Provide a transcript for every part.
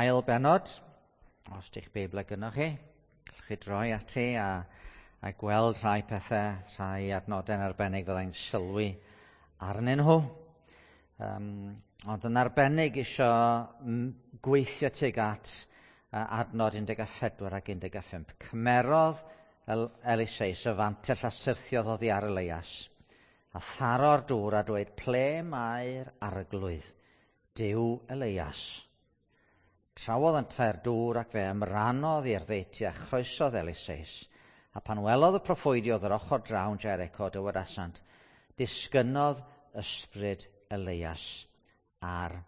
Ail bennod, os di'ch Beibl gynnoch chi, gallwch chi droi ati a gweld rhai pethau, rhai adnodau'n arbennig fyddai'n sylwi arnyn nhw. Ond yn arbennig isio gweithio tuag at adnod 14 ac 15. Cymerodd Eliseus y fantell a syrthiodd oddi ar Elias, a tharo'r dŵr a dweud, ple mae'r arglwydd, Duw Elias? Trawodd yntau'r dŵr ac fe ymrannodd i'r ddeutu a chroesodd Eliseus. A pan welodd y proffwydi oedd yr ochr draw yn Jericho, dywedasant, disgynnodd ysbryd Elias ar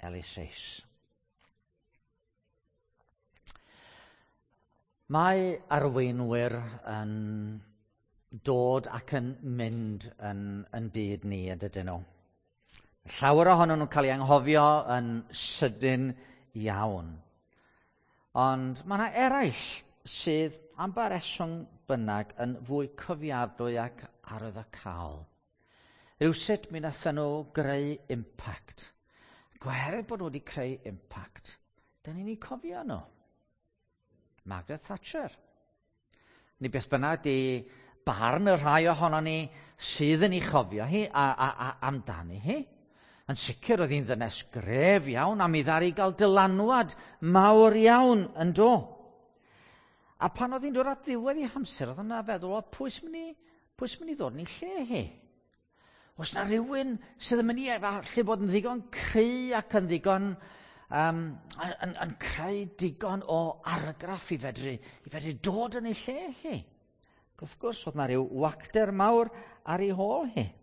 Eliseus. Mae arweinwyr yn dod ac yn mynd yn byd ni, yn dydyn nhw. Llawer ohonyn nhw'n cael ei anghofio yn sydyn iawn. Ond mae yna eraill sydd am ba reswm bynnag yn fwy cofiadwy ac arwyddocaol. Rywsut mi wnaethon nhw greu impact. Gwerth bod nhw wedi creu impact, da ni'n eu cofio nhw. Margaret Thatcher. Ni beth bynnag di barn y rhai ohonon ni sydd yn ei chofio hi a amdani hi. Yn sicr oedd hi'n ddynes gref iawn a mi ddaru gael dylanwad mawr iawn yn do. A pan oedd hi'n dod at ddiwedd ei hamser, oedd yna feddwl, o, pwy sy'n mynd i ddod yn ei lle hi? Oes na rhywun sydd yn mynd i allu bod yn ddigon cry ac yn ddigon yn creu digon o argraff i fedru dod yn ei lle hi? Ac wrth gwrs, oedd na rhyw wacter mawr ar ei hôl hi.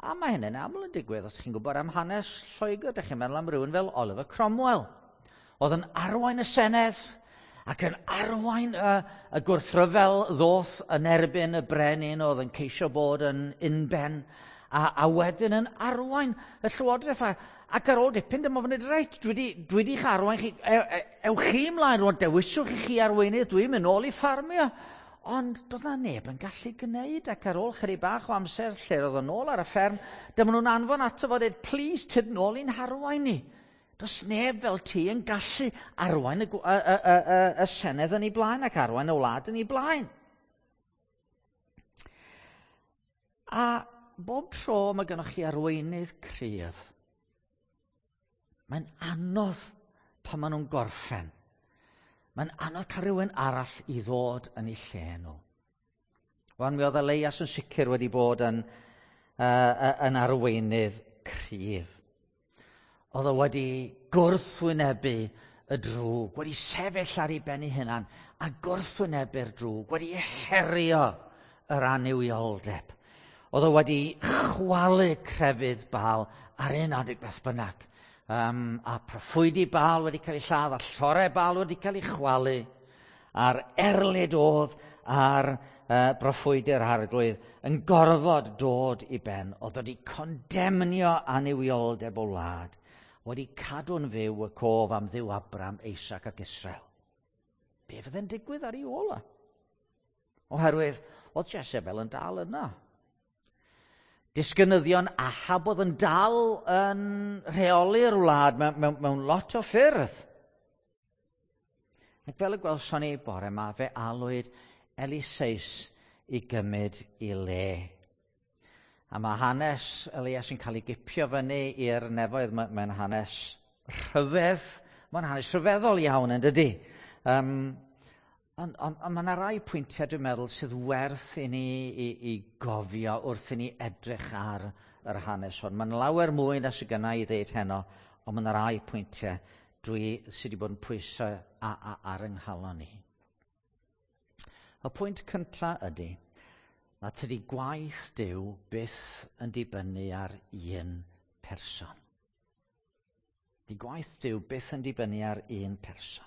A mae hynny'n aml yn digwydd, os chi'n gwybod am hanes Lloegr, dych chi'n meddwl am rhywun fel Oliver Cromwell. Oedd yn arwain y Senedd ac yn arwain y gwrthryfel ddoth yn erbyn y brenin oedd yn ceisio bod yn unben, a wedyn yn arwain y llywodraeth. Ac ar ôl dipyn, dyma fo'n dweud, reit, dwi wedi'ch arwain chi, ewch chi ymlaen rwan, dewiswch i chi arweinydd, dwi'n mynd nôl i ffarmio. Ond doedd na neb yn gallu gwneud, ac ar ôl chydig bach o amser lle roedd o'n nôl ar y fferm, dyma nhw'n anfon ato fo dweud, please, tyd nôl i'n harwain ni. Does neb fel ti yn gallu arwain y Senedd yn ei blaen ac arwain y wlad yn ei blaen. A bob tro mae gennych chi arweinydd cryf, mae'n anodd pan maen nhw'n gorffen. Mae'n anodd cael rhywun arall i ddod yn ei lle nhw. Wan, mi oedd Elias yn sicr wedi bod yn arweinydd cryf. Oedd o wedi gwrthwynebu y drwg, wedi sefyll ar ei ben ei hunan a gwrthwynebu'r drwg, wedi herio yr annuwioldeb. Oedd o wedi chwalu crefydd Baal ar un adeg beth bynnag. A proffwydi Baal wedi cael ei lladd, a llorau Baal wedi cael ei chwalu, a'r erlid oedd ar broffwydi'r arglwydd yn gorfod dod i ben. Oedd wedi condemnio annuwioldeb o wlad, wedi cadw'n fyw y cof am Dduw Abraham, Isaac ac Israel. Be fydde'n digwydd ar ei ôl o? Oherwydd oedd Jezebel yn dal yna. Disgynyddion Ahab oedd yn dal yn rheoli'r wlad mewn lot o ffyrdd. Ac fel y gwelson ni bore yma, fe alwyd Eliseus i gymryd i le. A mae hanes Elias yn cael ei gipio fyny i'r nefoedd. Mae'n hanes rhyfedd. Mae'n hanes rhyfeddol iawn, yn dydy. Ond mae yna rai pwyntiau, dwi'n meddwl, sydd werth i ni i gofio wrth i ni edrych ar yr hanes hwn. Mae'n lawer mwy na sydd gynna i ddeud heno, ond mae yna rai pwyntiau dwi sydd wedi bod yn pwyso ar yng nghalon ni. Y pwynt cyntaf ydy, na tydi gwaith Duw byth yn dibynnu ar un person. Di gwaith Duw byth yn dibynnu ar un person.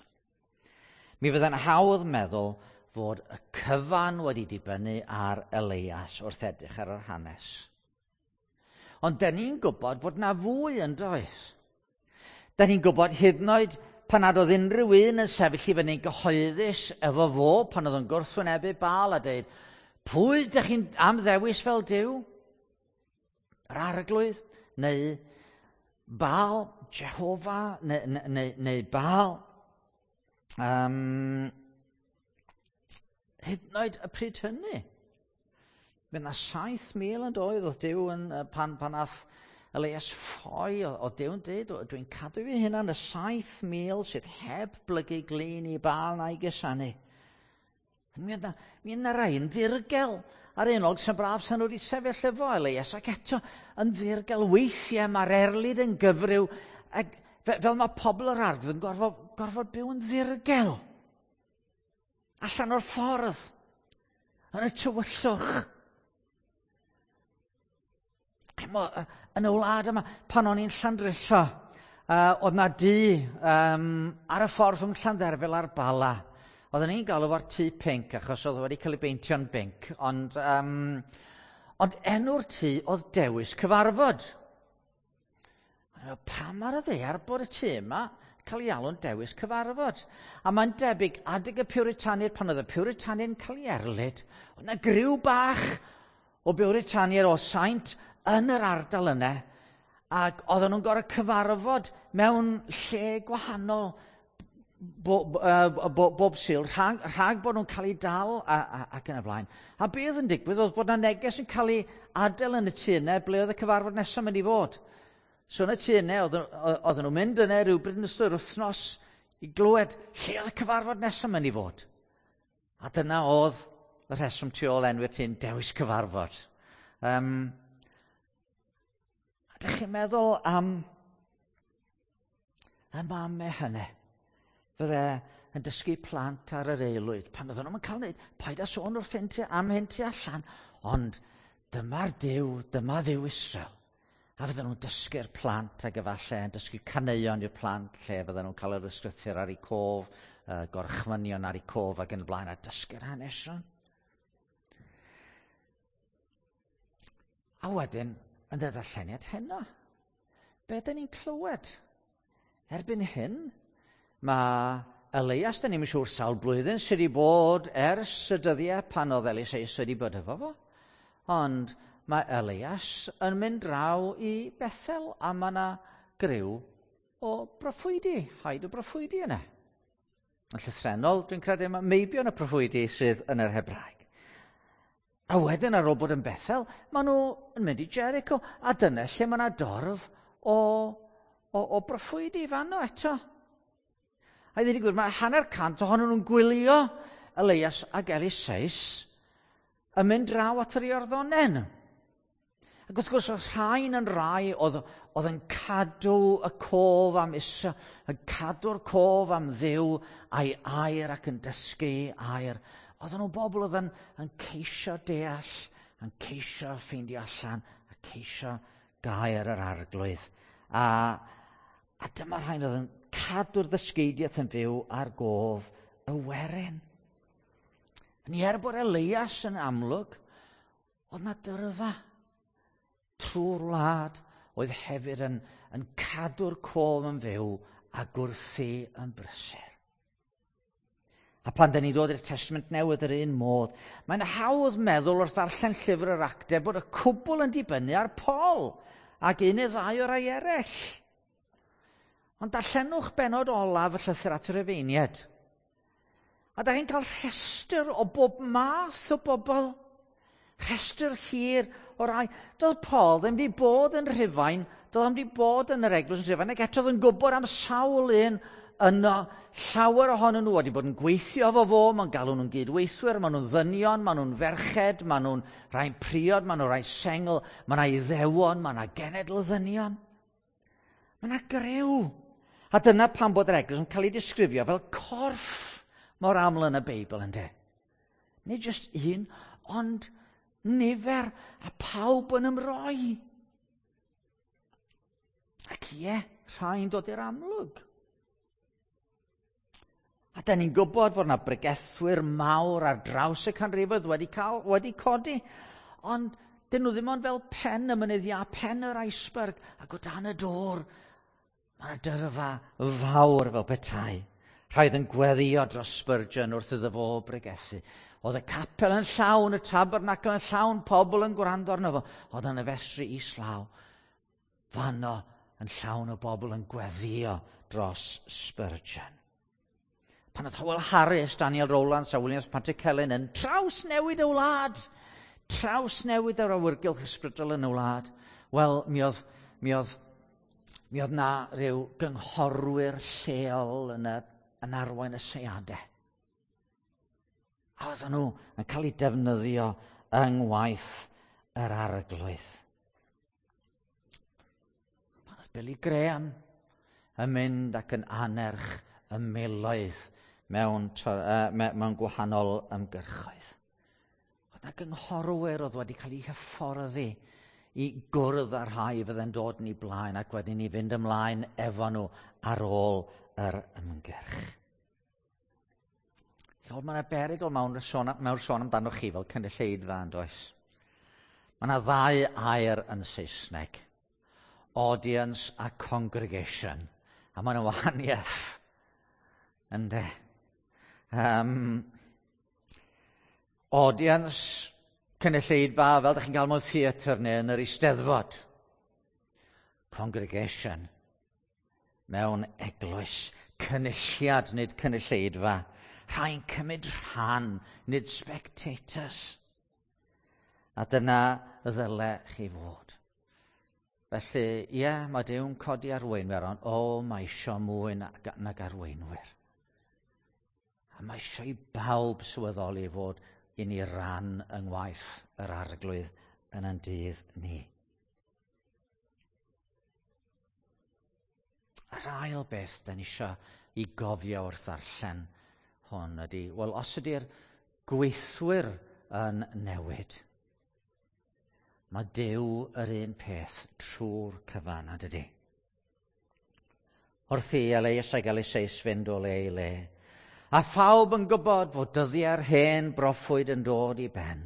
Mi fydda'n hawdd meddwl fod y cyfan wedi dibynnu ar Elias wrth edrych ar yr hanes. Ond da ni'n gwybod fod na fwy yn does. Da ni'n gwybod hyd yn oed pan nad oedd unrhyw un yn sefyll i fyny'n gyhoeddus efo fo, pan oedd yn gwrthwynebu Baal a dweud, pwy ydych chi'n am ddewis fel Duw? Yr arglwydd neu Baal? Jehofa neu Baal. Hyd yn oed y pryd hynny. Mae yna 7,000 yn doedd oedd Duw yn, pan ath Elias ffoi, oedd Duw yn dweud, dwi'n cadw fi hunan y 7,000 sydd heb blygu glin i Baal na'i gusanu. Mi yna rai yn ddirgel ar un olwg sy'n braf sy'n nhw wedi sefyll efo Elias, ac eto yn ddirgel weithiau mae'r erlid yn gyfryw, ac fel mae pobl yr arglwydd yn gorfod byw yn ddirgel. Allan o'r ffordd, yn y tywyllwch. Yn y wlad yma, pan o'n i'n Llandrillo, oedd na dŷ ar y ffordd rhwng Llandderfel a'r Bala. Oedden ni'n galw fo'r tŷ pinc, achos oedd wedi cael ei beintio'n binc, ond enw'r tŷ oedd Dewis Cyfarfod. Pam ar y ddaear bod y tŷ yma cael ei alw'n Dewis Cyfarfod? A mae'n debyg, adeg y Puritaniaid, pan oedd y Puritaniaid yn cael ei erlid, oedd yna griw bach o Buritaniaid o saint yn yr ardal yna, ac oedden nhw'n gorfod cyfarfod mewn lle gwahanol bob Sul, rhag bod nhw'n cael eu dal ac yn y blaen. A be oedd yn digwydd oedd bod yna neges yn cael ei adael yn y tŷ yna ble oedd y cyfarfod nesaf mynd i fod. So yn y tŷ yna, oedden nhw'n mynd yna rhywbryd yn ystod yr wythnos i glywed lle oedd y cyfarfod nesaf mynd i fod. A dyna oedd y rheswm tu ôl enw'r tŷ'n Dewis Cyfarfod. A dych chi'n meddwl am y mamau hynny? Fydde yn dysgu plant ar yr aelwyd. Pan oedden nhw'n cael wneud, paid â sôn wrth hyn am hyn tu allan, ond dyma'r Duw, dyma Dduw Israel. A fydden nhw'n dysgu'r plant ac efallai yn dysgu caneuon i'r plant lle fydden nhw'n cael yr ysgrythur ar eu cof, gorchmynion ar eu cof ac yn y blaen, a dysgu'r hanesion. A wedyn, yn y darlleniad heno, be dyn ni'n clywed? Erbyn hyn, mae Elias, dyn ni'm yn siŵr sawl blwyddyn sydd wedi bod ers y dyddiau pan oedd Eliseus wedi bod efo fo, ond mae Elias yn mynd draw i Bethel a mae yna griw o broffwydi, haid o broffwydi yna. Yn llythrennol, dwi'n credu mae meibion y proffwydi sydd yn yr Hebraeg. A wedyn ar ôl bod yn Bethel, maen nhw yn mynd i Jericho, a dyna lle mae yna dorf o broffwydi fanno eto. A i ddweud y gwir, mae 150 ohonyn nhw'n gwylio Elias ac Eliseus yn mynd draw at yr Iorddonen. Ac wrth gwrs, oedd rhain yn rai oedd yn cadw y cof am Israel, yn cadw'r cof am Dduw a'i air ac yn dysgu air. Oedden nhw'n bobl oedd yn ceisio deall, yn ceisio ffeindio allan, a ceisio gair yr arglwydd. A dyma rhain oedd yn cadw'r ddysgeidiaeth yn fyw ar gof y werin. Ni er bod Elias yn amlwg, oedd na dyrfa trwy'r wlad oedd hefyd yn cadw'r cof yn fyw a gwrthi yn brysur. A pan dyn ni ddod i'r Testament Newydd yr un modd, mae'n hawdd meddwl wrth ddarllen llyfr yr Actau bod y cwbl yn dibynnu ar Paul ac un neu ddau o rai eraill. Ond darllenwch benod olaf y llythyr at y Rufeiniaid. A da chi'n cael rhestr o bob math o bobl. Rhestr hir o rai. Doedd Paul ddim wedi bod yn Rhufain, doedd ddim wedi bod yn yr eglwys yn Rhufain, ac eto oedd yn gwybod am sawl un yno. Llawer ohonyn nhw wedi bod yn gweithio efo fo, mae'n galw nhw'n gydweithwyr, maen nhw'n ddynion, maen nhw'n ferched, maen nhw'n rhai priod, maen nhw'n rhai sengl, maen nhw'n Iddewon, maen nhw'n genedl ddynion. Mae yna griw. A dyna pam bod yr eglwys yn cael ei disgrifio fel corff mor aml yn y Beibl, yndê? Nid jyst un, ond nifer a pawb yn ymroi. Ac ie, rhai'n dod i'r amlwg. A da ni'n gwybod fod yna bregethwyr mawr ar draws y canrifoedd wedi codi, ond dyn nhw ddim ond fel pen y mynydd iâ, pen yr iceberg, ac o dan y dŵr, mae yna dyrfa fawr fel petai. Rhaid yn gweddio dros Spurgeon wrth iddo fo bregethu. Oedd y capel yn llawn, y tabernacl yn llawn, pobl yn gwrando arno fo. Oedd yn y festri islaw. Fanno yn llawn o bobl yn gweddio dros Spurgeon. Pan oedd Howell Harris, Daniel Rowlands a Williams Pantycelyn yn trawsnewid y wlad, trawsnewid yr awyrgylch ysbrydol yn y wlad, wel, mi oedd, mi oedd, mi oedd na rhyw gynghorwyr lleol yn, y, yn arwain y seiadau. A oedden nhw yn cael eu defnyddio yng ngwaith yr arglwydd. Pan oedd Billy Graham yn mynd ac yn anerch y miloedd mewn, mewn gwahanol ymgyrchoedd. Oedd yna gynghorwyr oedd wedi cael eu hyfforddi i gwrdd â'r rhai fydde'n dod yn ei blaen ac wedyn i fynd ymlaen efo nhw ar ôl yr ymgyrch. Chod, mae yna berygl mewn sôn, mewn sôn amdano chi fel cynulleidfa yn does? Mae yna ddau air yn Saesneg. Audience a congregation. A mae yna wahaniaeth. Ynde? Audience, cynulleidfa, fel ydych chi'n cael mewn theatr neu yn yr eisteddfod. Congregation, mewn eglwys. Cynulliad, nid cynulleidfa. Rhai'n cymryd rhan, nid spectators. A dyna ddyle chi fod. Felly, ie, yeah, mae Duw'n codi arweinwyr, ond o, mae isio mwy nag arweinwyr. A mae eisiau i bawb sylweddoli fod i ni ran yng ngwaith yr arglwydd yn ein dydd ni. A'r ail beth da ni eisiau i gofio wrth ddarllen hwn ydy, wel, os ydy'r gweithwyr yn newid, mae Duw yr un peth trwy'r cyfan, a dydy. Wrth i Elias ag Eliseus fynd o le i le, a phawb yn gwybod fod dyddiau'r hen broffwyd yn dod i ben.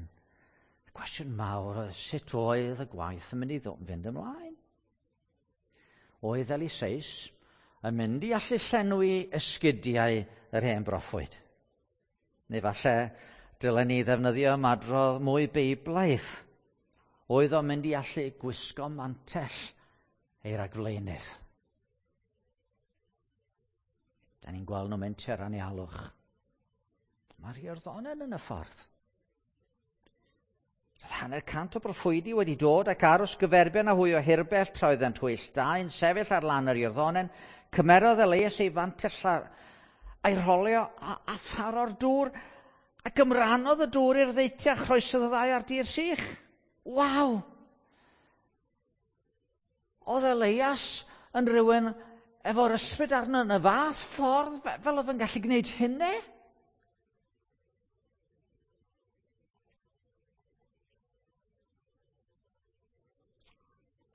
Y cwestiwn mawr oedd sut oedd y gwaith yn mynd i fynd ymlaen. Oedd Eliseus yn mynd i allu llenwi esgidiau yr hen broffwyd? Neu falle dylen ni ddefnyddio ymadrodd mwy beiblaidd. Oedd o'n mynd i allu gwisgo mantell ei ragflaenydd? Da ni'n gweld nhw'n mynd tua'r anialwch. Mae'r Iorddonen yn y ffordd. Roedd 150 o broffwydi wedi dod ac aros gyferbyn â hwy o hirbell tra oeddent hwyll dau'n sefyll ar lan yr Iorddonen. Cymerodd Elias ei fantell a'i rholio a, a tharo'r dŵr ac ymrannodd y dŵr i'r ddeutu a chroesodd y ddau ar dir sych. Waw! Oedd Elias yn rhywun efo'r ysbryd arno yn y fath ffordd fel oedd yn gallu gwneud hynny?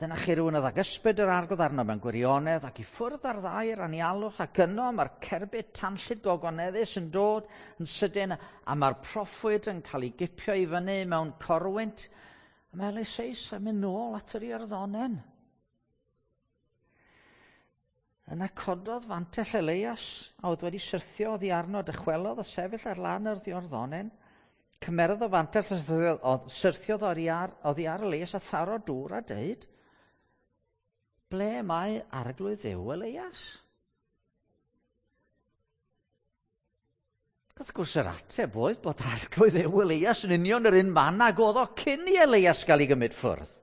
Dyna chi rhywun oedd ag ysbryd yr arglwydd arno mewn gwirionedd ac i ffwrdd ar ddair anialwch ac yno mae'r cerbyd tanllyd gogoneddus yn dod yn sydyn a mae'r proffwyd yn cael ei gipio i fyny mewn corwynt a mae Eliseus yn mynd nôl at yr Iorddonen. Yna cododd fantell Elias a oedd wedi syrthio oddi arno, dychwelodd a sefyll ar lan yr Iorddonen. Cymerodd y fantell a syrthiodd oddi ar, oddi ar Elias a tharo dŵr a deud, ble mae arglwydd Dduw Elias? Wrth gwrs yr ateb oedd bod arglwydd Dduw Elias yn union yr un man ag oedd o cyn i Elias gael ei gymryd ffwrdd.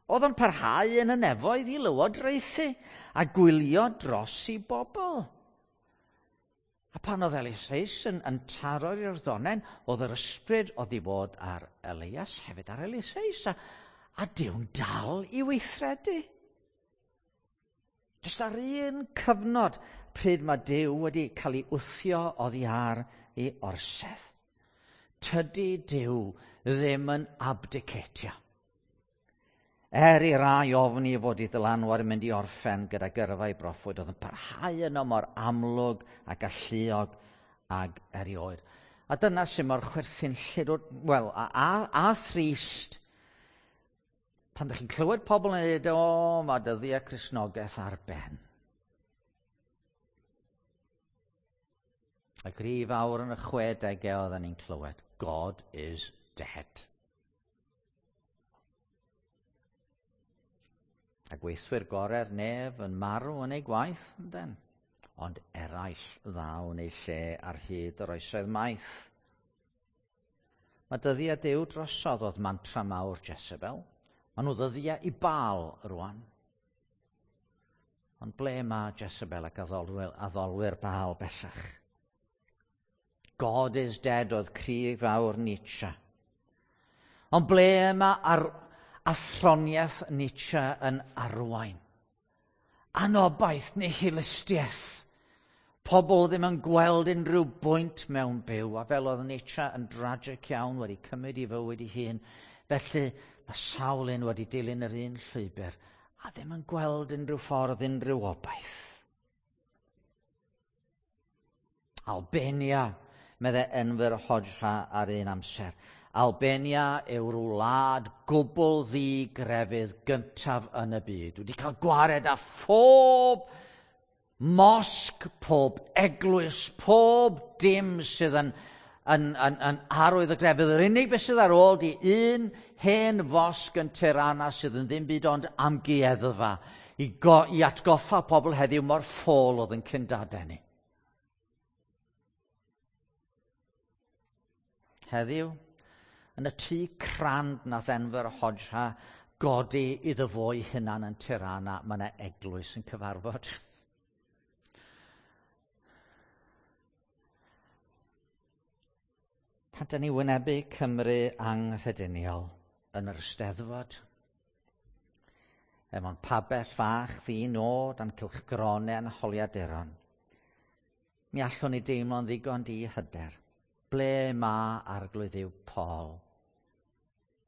Oedd o'n parhau yn y nefoedd i lywodraethu a gwylio dros i bobl. A pan oedd Eliseus yn, yn taro'r Iorddonen, oedd yr ysbryd oedd i fod ar Elias hefyd ar Eliseus, a, a Duw'n dal i weithredu. Jyst ar un cyfnod pryd mae Duw wedi cael ei wthio oddi ar ei orsedd. Tydi Duw ddim yn abdicatio. Er i rai ofni fod ei ddylanwad yn mynd i orffen gyda gyrfa ei broffwyd, oedd yn parhau yno mor amlwg a galluog ag erioed. A dyna sy'n mor chwerthinllyd, wel, a, a, a thrist, pan ydych chi'n clywed pobl yn dweud, o, mae dyddiau Cristnogaeth ar ben. Y grif awr yn y 60au oedden ni'n clywed, God is dead. A gweithwyr gorau'r nef yn marw yn eu gwaith, yndyn? Ond eraill ddaw yn eu lle ar hyd yr oesoedd maith. Mae dyddiau Duw drosodd oedd mantra mawr Jezebel. Maen nhw ddyddiau i Baal rwan. Ond ble mae Jezebel ac addolwyr Baal bellach? God is dead oedd cri fawr Nietzsche. Ond ble mae athroniaeth Nietzsche yn arwain? Anobaith, nihilistiaeth. Pobl ddim yn gweld unrhyw bwynt mewn byw, a fel oedd Nietzsche yn dragic iawn wedi cymryd i fywyd ei hun. Felly mae sawl un wedi dilyn yr un llwybr a ddim yn gweld unrhyw ffordd, unrhyw obaith. Albania, meddai Enver Hoxha ar un amser. Albania yw'r wlad gwbl ddi-grefydd gyntaf yn y byd. Wedi cael gwared â phob mosg, pob eglwys, pob dim sydd yn arwydd y grefydd. Yr unig beth sydd ar ôl di un hen fosg yn Tirana sydd yn ddim byd ond amgueddfa i atgoffa pobl heddiw mor ffôl oedd yn cyndadau ni. Heddiw, yn y tŷ crand nath Enver Hoxha godi iddo fo'i hunan yn Tirana, mae yna eglwys yn cyfarfod. Pan da ni wynebu Cymru anghrediniol yn yr Eisteddfod, efo'n pabell fach ddi-nod a'n cylchgronau a'n holiaduron, mi allwn ni deimlo'n ddigon di-hyder. Ble mae Arglwydd Dduw Paul?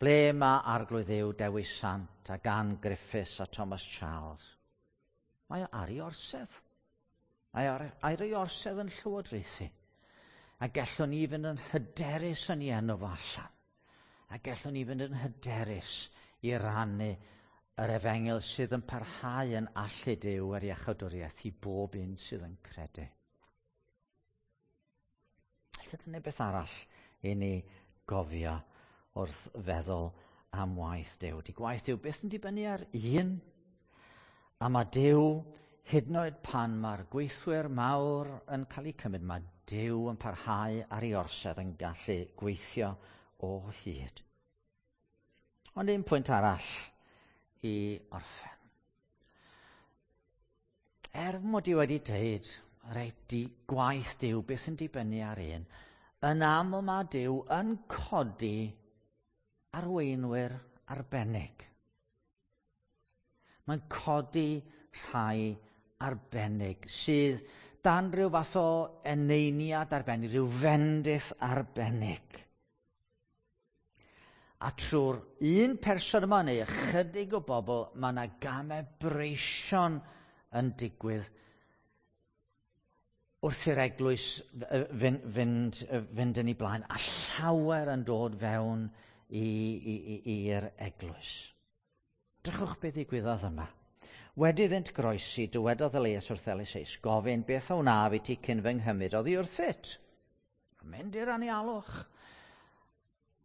Ble mae Arglwydd Dduw Dewi Sant a Gan Griffiths a Thomas Charles? Mae o ar ei orsedd. Mae o ar ei orsedd yn llywodraethu. A gallwn ni fynd yn hyderus yn ei enw fo allan. A gallwn ni fynd yn hyderus i rannu yr efengyl sydd yn parhau yn allu Duw ar iachawdwriaeth i bob un sydd yn credu. Felly dyna beth arall i ni gofio wrth feddwl am waith Duw. Di gwaith Duw byth yn dibynnu ar un. A mae Duw, hyd yn oed pan mae'r gweithwyr mawr yn cael eu cymryd, mae Duw yn parhau ar ei orsedd yn gallu gweithio o hyd. Ond un pwynt arall i orffen. Er mod i wedi dweud, reit, di gwaith Duw byth yn dibynnu ar un, yn aml mae Duw yn codi arweinwyr arbennig. Mae'n codi rhai arbennig sydd dan rhyw fath o eneiniad arbennig, rhyw fendith arbennig. A trwy'r un person yma neu ychydig o bobl, mae yna gamau breision yn digwydd wrth i'r eglwys fynd yn ei blaen, a llawer yn dod fewn i'r eglwys. Drychwch beth ddigwyddodd yma. Wedi iddynt groesi, dywedodd Elias wrth Eliseus, gofyn beth a wnaf i ti cyn fy nghymryd oddi wrthyt. Mynd i'r anialwch.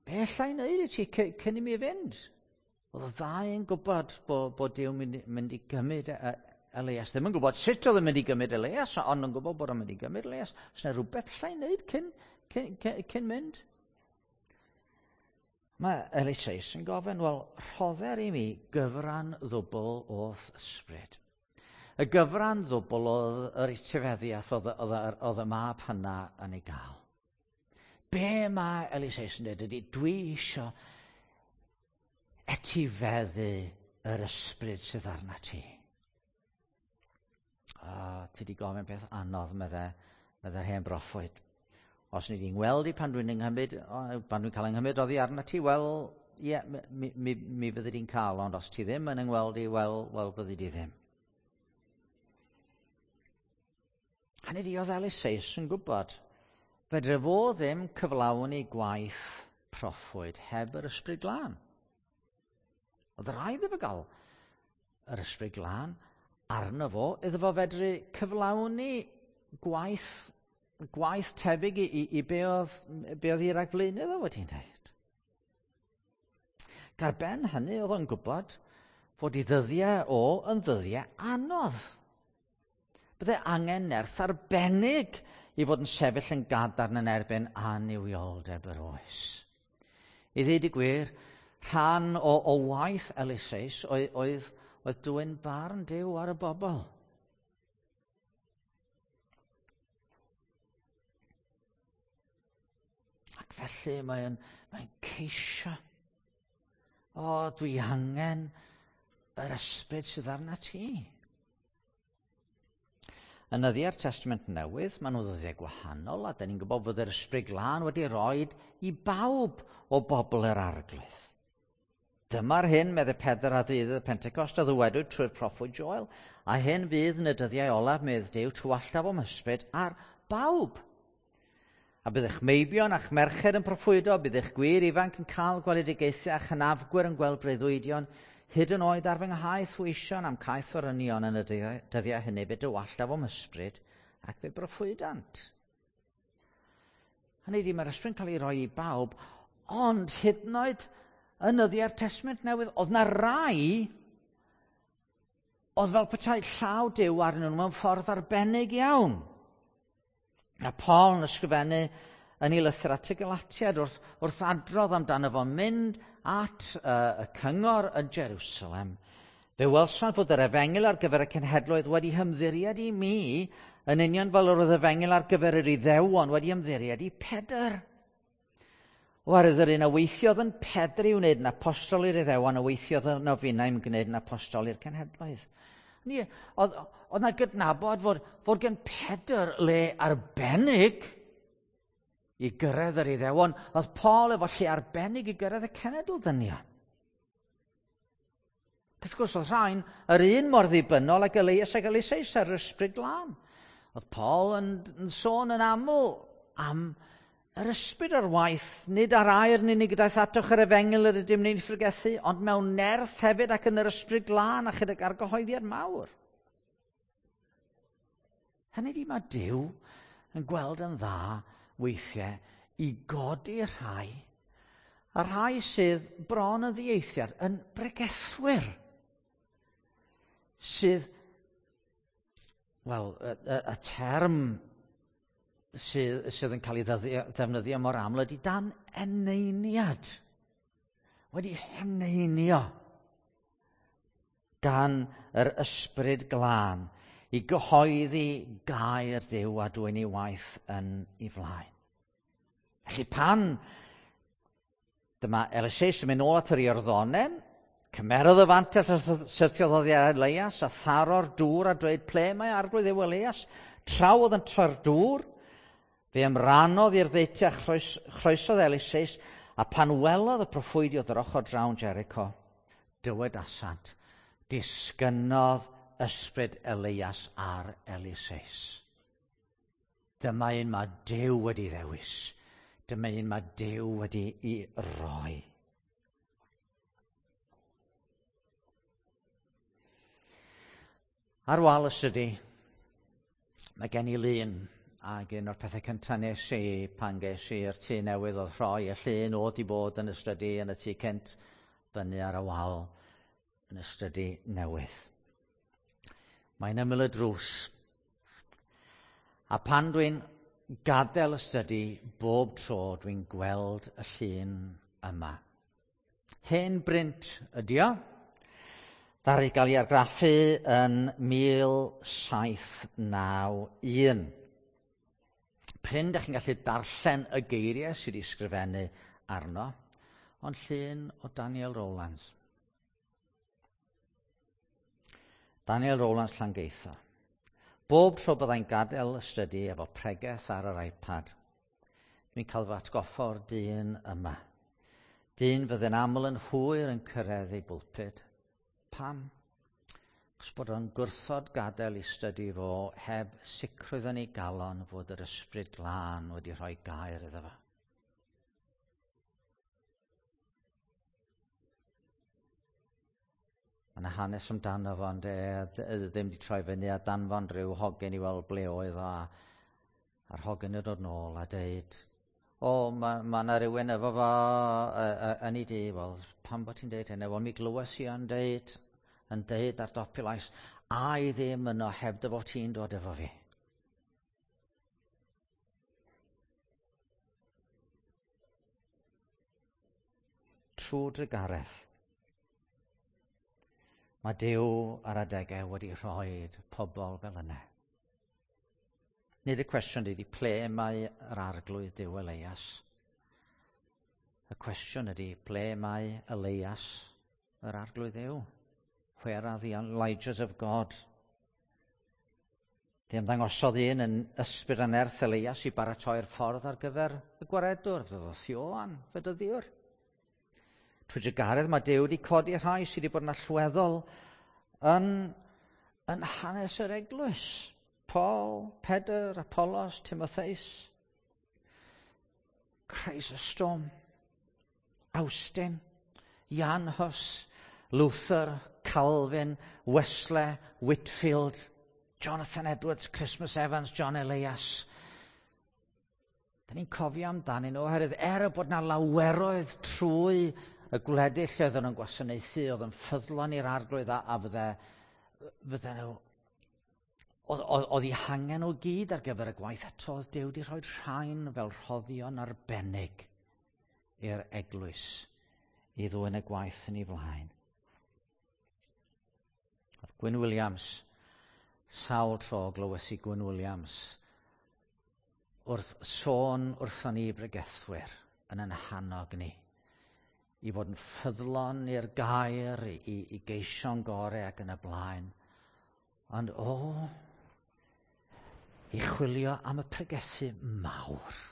Be alla i wneud i ti cyn i mi fynd? Oedd y ddau yn gwybod bod Duw mynd i gymryd Elias. Ddim yn gwybod sut oedd yn mynd i gymryd Elias, ond yn gwybod bod o'n mynd i gymryd Elias. Oes yna rhywbeth alla i wneud cyn mynd? Mae Eliseus yn gofyn, wel, rhodder i mi gyfran ddwbl o'th ysbryd. Y gyfran ddwbl oedd yr etifeddiaeth oedd y mab hynna yn ei gael. Be mae Eliseus yn dweud ydy, dwi isio etifeddu yr ysbryd sydd arna ti. A ti di gofyn peth anodd, meddai hen broffwyd. Os ni di'n gweld i pan dwi'n nghymryd, pan dwi'n cael yng oddi arna ti, wel, ie, mi fyddi di'n cael, ond os ti ddim yn yngweld i, wel, fyddi di ddim. Hynny di, oedd Eliseus yn gwybod, fedre fo ddim cyflawni gwaith proffwyd heb yr ysbryd glân. Oedd rhaid iddo gael yr ysbryd glân arno fo, iddo fo fedru cyflawni gwaith tebyg i be oedd ei ragflaenydd o wedi wneud. Gar ben hynny oedd o'n gwybod fod ei ddyddiau o yn ddyddiau anodd. Bydde angen nerth arbennig i fod yn sefyll yn gadarn yn erbyn annuwioldeb yr oes. I ddweud y gwir, rhan o waith Eliseus oedd dwyn barn Duw ar y bobl. Ac felly mae'n ceisio. O, dwi angen yr ysbryd sydd arna ti. Yn nyddiau'r Testament Newydd, maen nhw ddyddiau gwahanol, a da ni'n gwybod fod yr ysbryd glân wedi roed i bawb o bobl yr Arglwydd. Dyma'r hyn, meddai Pedr a ddydd y Pentecost, a ddywedwyd trwy'r proffwyd Joel, a hyn fydd yn y dyddiau olaf, medd Duw, tywalltaf o'm hysbryd ar bawb. A bydd eich meibion a'ch merched yn proffwydo, bydd eich gwir ifanc yn cael gweledigaethau a'ch hynafgwyr yn gweld breuddwydion, hyd yn oed ar fy nghaeth weision am caeth forynion yn y dyddiau hynny, fe dywalltaf o'm ysbryd ac fe broffwydant. Hynny ydi, mae'r ysbryd yn cael ei roi i bawb, ond hyd yn oed yn nyddiau'r Testament Newydd, oedd na rai oedd fel petai llaw Duw arnyn nhw mewn ffordd arbennig iawn. A Paul yn ysgrifennu yn ei lythyr at y Galatiaid wrth adrodd amdano fo mynd at y cyngor yn Jerusalem. Fe welsant fod yr efengyl ar gyfer y cenhedloedd wedi hymddiried i mi, yn union fel yr oedd efengyl ar gyfer yr Iddewon wedi ymddiried i Pedr. Oherwydd yr un a weithiodd yn Pedr i wneud yn apostol i'r Iddewon, a weithiodd yn ofinau yn gwneud yn apostol i'r cenhedloedd. Ni, oedd yna gydnabod fod gen Pedr le arbennig i gyrraedd yr Iddewon, oedd Paul efo lle arbennig i gyrraedd y cenedl ddynion. Wrth gwrs, oedd rhain yr un mor ddibynnol ag Elias ac Eliseus ar yr ysbryd glân. Oedd Paul yn sôn yn aml am yr ysbryd ar waith, nid ar air yn unig daeth atoch yr efengyl yr ydym ni'n phregethu, ond mewn nerth hefyd ac yn yr ysbryd glân a chydag argyhoeddiad mawr. Hynny ydi, mae Duw yn gweld yn dda weithiau i godi rhai, a rhai sydd bron yn ddieithiad, yn bregethwyr, sydd, wel, y term sydd yn cael ei ddefnyddio mor aml ydy dan eneiniad. Wedi heneinio gan yr ysbryd glân i gyhoeddi gair Duw a dwyn ei waith yn ei flaen. Felly pan dyma Eliseus yn mynd nôl at yr Iorddonen, cymerodd y fantell a syrthiodd oddi ar Elias a tharo'r dŵr a dweud ple mae arglwydd yw Elias, trawodd yn troi'r dŵr, fe ymrannodd i'r ddeutu a chroesodd Eliseus, a pan welodd y proffwydiodd yr ochr drawn Jericho, dywedasant, disgynnodd ysbryd Elias ar Eliseus. Dyma un mae Duw wedi ddewis. Dyma un mae Duw wedi ei roi. Ar wal y stydi, mae gen i lun, ac un o'r pethau cyntaf nes i pan ges i'r tŷ newydd oedd rhoi y llun oedd i bod yn y stydi yn y tŷ cynt fyny ar y wal yn y stydi newydd. Mae'n ymyl y drws. A pan dwi'n gadael y stydi, bob tro dwi'n gweld y llun yma. Hen brint ydi o. Ddaru gael ei argraffu yn 1791. Prin dach chi'n gallu darllen y geiriau sydd wedi sgrifennu arno, ond llun o Daniel Rowlands. Daniel Rowlands Llangeitho. Bob tro byddai'n gadael y stydi efo pregeth ar yr iPad, dwi'n cael fy atgoffa o'r dyn yma. Dyn fydde'n aml yn hwyr yn cyrraedd ei bwlpud. Pam? Achos bod o'n gwrthod gadael i stydi fo heb sicrwydd yn ei galon fod yr ysbryd glân wedi rhoi gair iddo fo. Mae yna hanes amdano fo, ond ddim wedi troi fyny a danfon rhyw hogyn i weld ble oedd o, a'r hogyn yn dod nôl a deud, o, ma yna rhywun efo fo yn ei dŷ. Wel, pam bod ti'n deud hynny? Wel, mi glywes i o'n deud. yn deud ar dop i lais, a i ddim yno heb dy fod ti'n dod efo fi. Trwy drugaredd, mae Duw ar adegau wedi rhoi pobl fel yna. Nid y cwestiwn ydy ple mae yr arglwydd Duw Elias. Y cwestiwn ydy ple mae Elias yr arglwydd Duw? Where are the Elijahs of God? Fe ymddangosodd un yn ysbryd a nerth Elias i baratoi'r ffordd ar gyfer y gwaredwr, ddoth Ioan, fedyddiwr. Trwy drugaredd mae Duw wedi codi rhai sydd wedi bod yn allweddol yn, yn hanes yr eglwys. Paul, Pedr, Apollos, Timotheus, Chrysostom, Awstin, Jan Hus, Luther, Calvin, Wesley, Whitfield, Jonathan Edwards, Christmas Evans, John Elias. Da ni'n cofio amdanyn nhw oherwydd er y bod na laweroedd trwy y gwledydd lle oedden nhw'n gwasanaethu, oedd yn ffyddlon i'r arglwydd a, a fydde, fydde nhw oedd, oedd, oedd eu hangen o gyd ar gyfer y gwaith eto oedd Duw wedi rhoi rhain fel rhoddion arbennig i'r eglwys i ddwyn y gwaith yn ei flaen. Oedd Gwyn Williams, sawl tro glywes i Gwyn Williams wrth sôn wrthon ni bregethwyr yn yn hannog ni i fod yn ffyddlon i'r gair, i, i geisio'n gorau ac yn y blaen. Ond o, i chwilio am y pregethu mawr.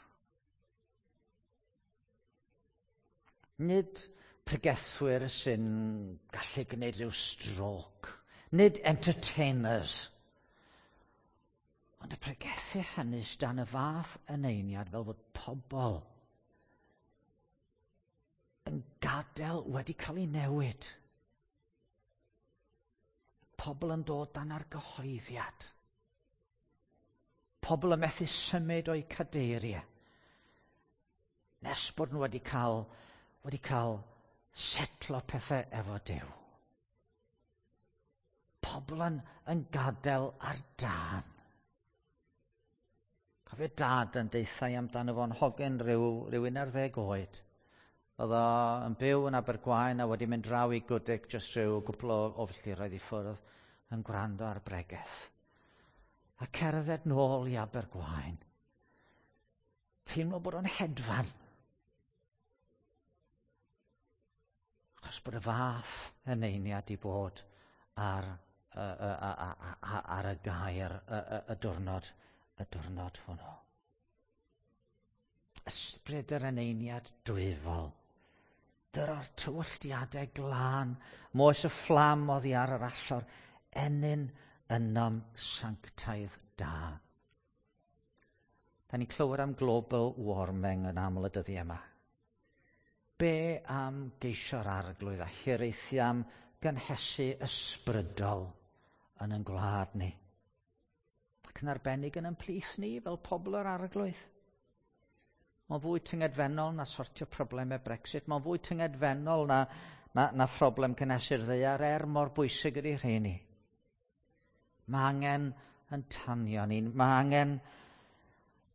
Nid pregethwyr sy'n gallu gwneud rhyw stroke, nid entertainers, ond y pregethu hynny dan y fath eneiniad fel bod pobl yn gadael wedi cael ei newid. Pobl yn dod dan argyhoeddiad. Pobl yn methu symud o'u cadeiriau. Nes bod nhw wedi cael, wedi cael setlo pethau efo Duw. Pobl yn, yn gadael ar dân. Cofio dad yn deithau amdano fo'n hogyn rhyw, rhyw 11 oed. Oedd o yn byw yn Abergwaun a wedi mynd draw i Gwdig jyst rhyw gwpl o, o filltiroedd i ffwrdd yn gwrando ar bregeth. A cerdded nôl i Abergwaun. Teimlo bod o'n hedfan. Achos bod y fath eneiniad i bod ar, ar y gair y, y, y diwrnod, y diwrnod hwnnw. Ysbryd yr eneiniad dwyfol. Dyro'r tywylltiadau glân, moes y fflam oddi ar yr allor, ennyn ynom sanctaidd da. Da ni'n clywed am global warming yn aml y dyddiau yma. Be am geisio'r arglwydd a hiraethu am gynhesu ysbrydol yn ein gwlad ni? Ac yn arbennig yn ein plith ni fel pobl yr arglwydd. Mae'n fwy tyngedfennol na sortio problemau Brexit. Mae'n fwy tyngedfennol na, na, na phroblem cynhesu'r ddaear er mor bwysig ydy rheini. Mae angen yn tanio ni. Mae angen,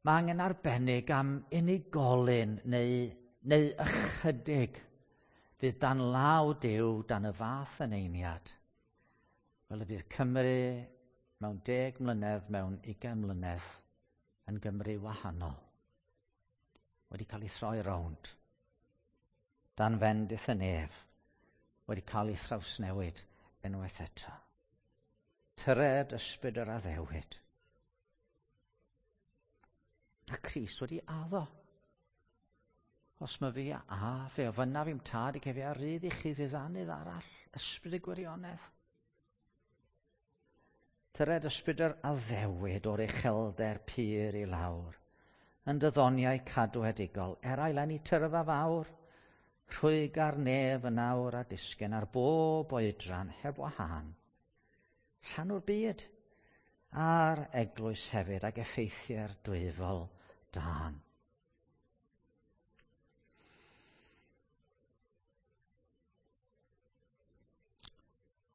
mae angen arbennig am unigolyn neu, neu ychydig fydd dan law Duw dan y fath eneiniad. Fel y bydd Cymru mewn 10 mlynedd, mewn 20 mlynedd yn Gymru wahanol. Wedi cael ei throi rownd. Dan fendith y nef. Wedi cael ei thrawsnewid unwaith eto. Tyred ysbryd yr addewid. A Crist wedi addo. Os mae fi a fe ofynnaf i'm tad i cefi a rydd i chi ddiddanydd arall, ysbryd y gwirionedd. Tyred ysbryd yr addewid o'r uchelder pur i lawr, yn dyddoniau cadwedigol, erail enni tyrfa fawr, rhwyg ar nef yn awr a disgyn ar bob oedran heb wahân. Llanw'r byd a'r eglwys hefyd ag effeithiau'r dwyfol dân.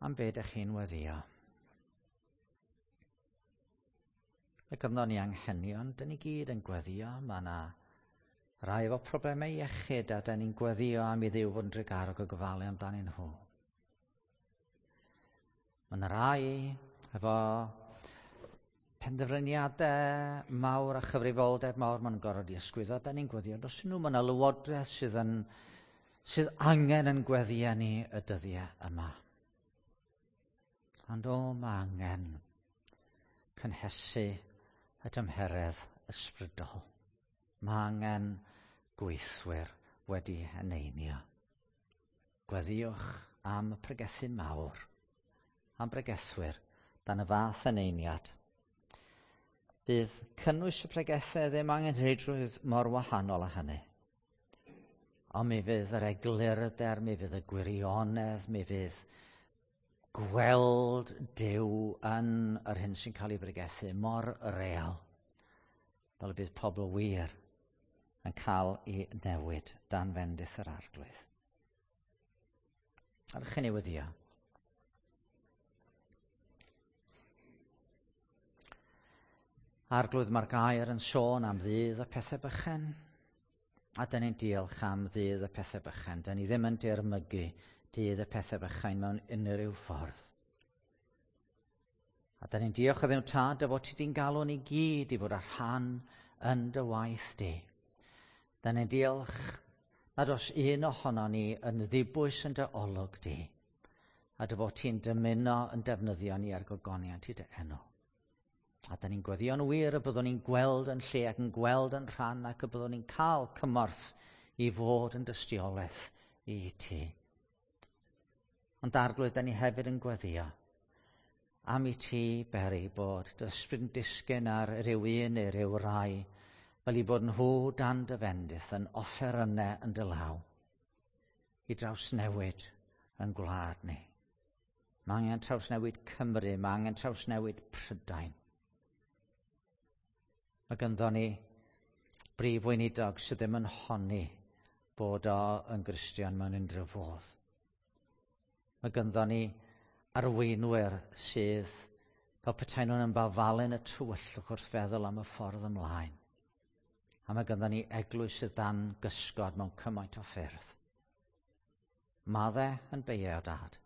Am be ydych chi'n weddio? Mae gynddon ni anghenion, dyn ni gyd yn gweddio. Mae yna rai efo problemau iechyd a dyn ni'n gweddio am i Dduw fod yn drugarog o gofalu amdanyn nhw. Mae yna rai efo penderfyniadau mawr a chyfrifoldeb mawr maen nhw'n gorfod i ysgwyddo. Dyn ni'n gweddio dros nhw. Mae yna lywodraeth sydd, yn, sydd angen yn gweddio ni y dyddiau yma. Ond o, mae angen cynhesu y tymheredd ysbrydol. Mae angen gweithwyr wedi eneinio. Gweddiwch am y pregethu mawr, am bregethwyr dan y fath eneiniad. Bydd cynnwys y pregethau ddim angen rheidrwydd mor wahanol â hynny. Ond mi fydd yr eglurder, mi fydd y gwirionedd, mi fydd gweld Duw yn yr hyn sy'n cael ei bregethu mor real, fel y bydd pobl wir yn cael ei newid dan fendith yr Arglwydd. Arwch chi newyddio. Arglwydd, mae'r gair yn sôn am ddydd y pethau bychan. A dyn ni'n diolch am ddydd y pethau bychan. Dyn ni ddim yn dirmygu dydd y pethau bychain mewn unrhyw ffordd. A dyn ni'n diolch o Dduw Tad dy fod ti di'n galw ni gyd i fod ar rhan yn dy waith di. Dyn ni'n diolch nad oes un ohono ni yn ddibwys yn dy olwg di, a dy fod ti'n dymuno yn defnyddio ni ar gogoniant i dy enw. A da ni'n gweddio'n wir y byddwn ni'n gweld yn lle ac yn gweld yn rhan ac y byddwn ni'n cael cymorth i fod yn dystiolaeth i ti. Ond Arglwydd, da ni hefyd yn gweddio am i ti beri bod dy ysbryd yn disgyn ar ryw un neu ryw rai, fel i bod nhw dan dy fendith yn offerynnau yn dy law, i drawsnewid yn gwlad ni. Mae angen trawsnewid Cymru, mae angen trawsnewid Prydain. Mae ganddo ni brif weinidog sydd ddim yn honni bod o yn Gristion mewn unrhyw fodd. Mae ganddo ni arweinwyr sydd fel petai nhw'n ymbalfalu'n y tywyllwch wrth feddwl am y ffordd ymlaen. A mae ganddo ni eglwys sydd dan gysgod mewn cymaint o ffyrdd. Madde yn beio, Dad,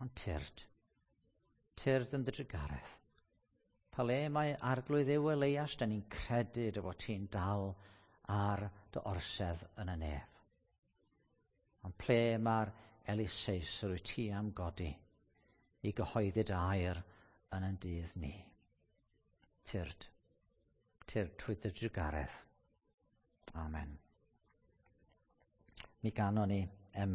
ond tyrd. Tyrd yn dy drugaredd. Pa le mae Arglwydd Dduw Eleias, da ni'n credu dy fod ti'n dal ar dy orsedd yn y nef. Ond ple mae'r Eliseus yr wyt ti am godi i gyhoeddi dy air yn ein dydd ni? Tyrd. Tyrd trwy dy drugaredd. Amen. Mi ganon ni.